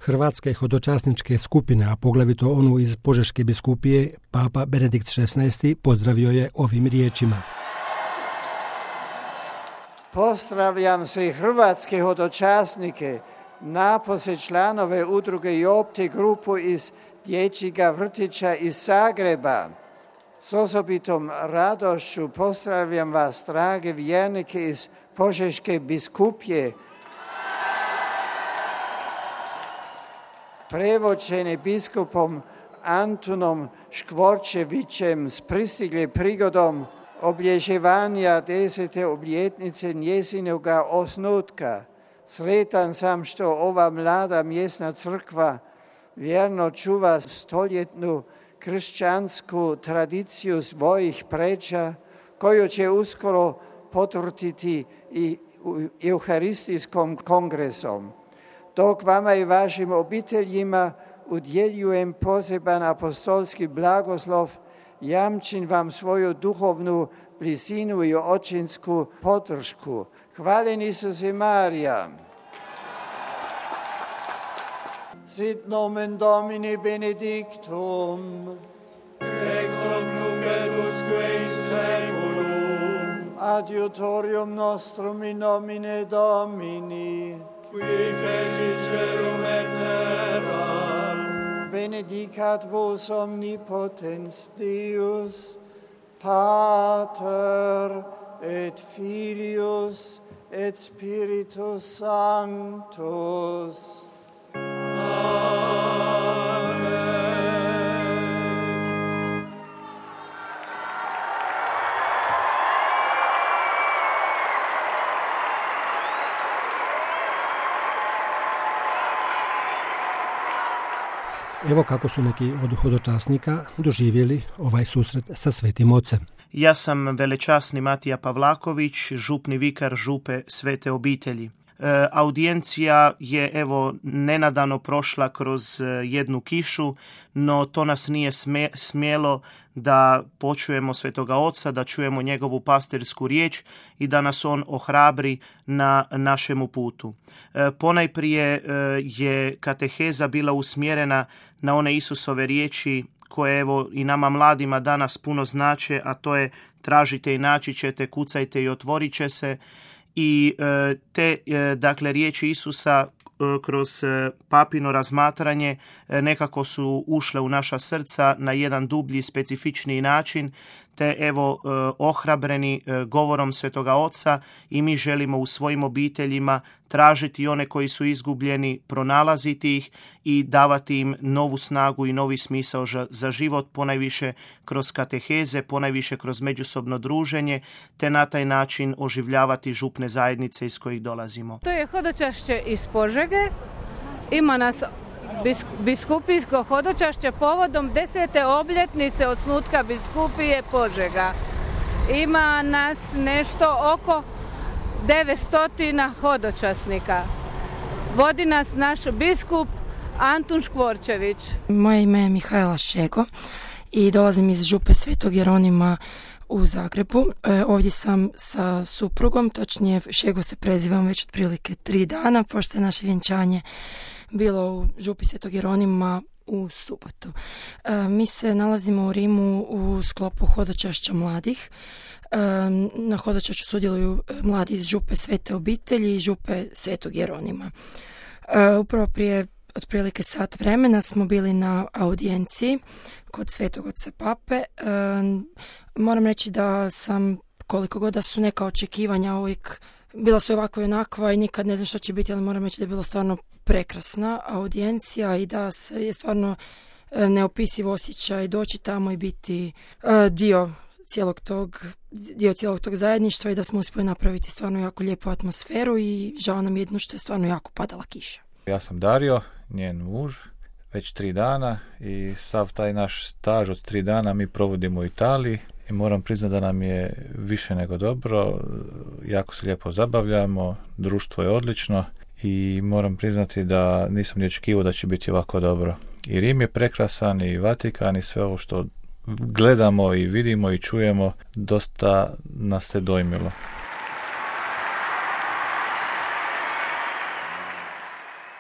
Hrvatske hodočasničke skupine, a poglavito onu iz Požeške biskupije, papa Benedikt XVI pozdravio je ovim riječima. Pozdravljam sve hrvatske hodočasnike, napose članove udruge Jopte grupu iz dječjega vrtića iz Zagreba. S osobitom radošću pozdravljam vas, drage vjernike iz Požeške biskupije, prevođene biskupom Antunom Škvorčevićem s pristigle prigodom obilježavanja 10. obljetnice njezinoga osnutka. Sretan sam što ova mlada mjesna crkva vjerno čuva stoljetnu kršćansku tradiciju svojih pređa, koju će uskoro potvrditi i Euharistijskom kongresom. Dok vama i vašim obiteljima udjeljujem poseban apostolski blagoslov, jamčim vam svoju duhovnu blizinu i očinsku podršku. Hvaljen Isuse Marija. Sit nomen Domini benedictum, ex hoc nunc et usque in saeculum, adiutorium nostrum in nomine Domini, qui fecit caelum et terram, benedicat vos omnipotens Deus, Pater et Filius et Spiritus Sanctus. Evo kako su neki od hodočasnika doživjeli ovaj susret sa Svetim Ocem. Ja sam velečasni Matija Pavlaković, župni vikar župe Svete obitelji. Audijencija je nenadano prošla kroz jednu kišu, no to nas nije smjelo da počujemo Svetoga Oca, da čujemo njegovu pastirsku riječ i da nas on ohrabri na našemu putu. Ponajprije je kateheza bila usmjerena na one Isusove riječi koje i nama mladima danas puno znače, a to je tražite i naći ćete, kucajte i otvorit će se. I te riječi Isusa kroz papino razmatranje nekako su ušle u naša srca na jedan dublji, specifičniji način, te ohrabreni govorom Svetoga Oca i mi želimo u svojim obiteljima tražiti one koji su izgubljeni, pronalaziti ih i davati im novu snagu i novi smisao za život, ponajviše kroz kateheze, ponajviše kroz međusobno druženje, te na taj način oživljavati župne zajednice iz kojih dolazimo. To je hodočašće iz Požege. Ima nas biskupijsko hodočašće povodom 10. obljetnice osnutka biskupije Požega. Ima nas nešto oko 900 hodočasnika. Vodi nas naš biskup Antun Škvorčević. Moje ime je Mihajla Šego i dolazim iz župe Svetog Jeronima u Zagrebu. Ovdje sam sa suprugom, točnije Šego se prezivam već otprilike 3 dana, pošto je naše vjenčanje bilo u župi Svetog Jeronima u subotu. Mi se nalazimo u Rimu u sklopu hodočašća mladih. Na hodočašću sudjeluju mladi iz župe Svete obitelji i župe Svetog Jeronima. Upravo prije otprilike sat vremena smo bili na audijenciji kod Svetog Oca Pape. Moram reći da sam, koliko god da su neka očekivanja uvijek bila su ovako i onakva i nikad ne znam što će biti, ali moram reći da je bilo stvarno prekrasna audijencija i da je stvarno neopisiv osjećaj doći tamo i biti dio cijelog tog zajedništva i da smo uspjeli napraviti stvarno jako lijepu atmosferu i žao nam jedno što je stvarno jako padala kiša. Ja sam Dario, njen muž, već 3 dana i sav taj naš staž od 3 dana mi provodimo u Italiji i moram priznati da nam je više nego dobro, jako se lijepo zabavljamo, društvo je odlično i moram priznati da nisam ni očekivao da će biti ovako dobro. I Rim je prekrasan i Vatikan i sve ovo što gledamo i vidimo i čujemo dosta nas se dojmilo.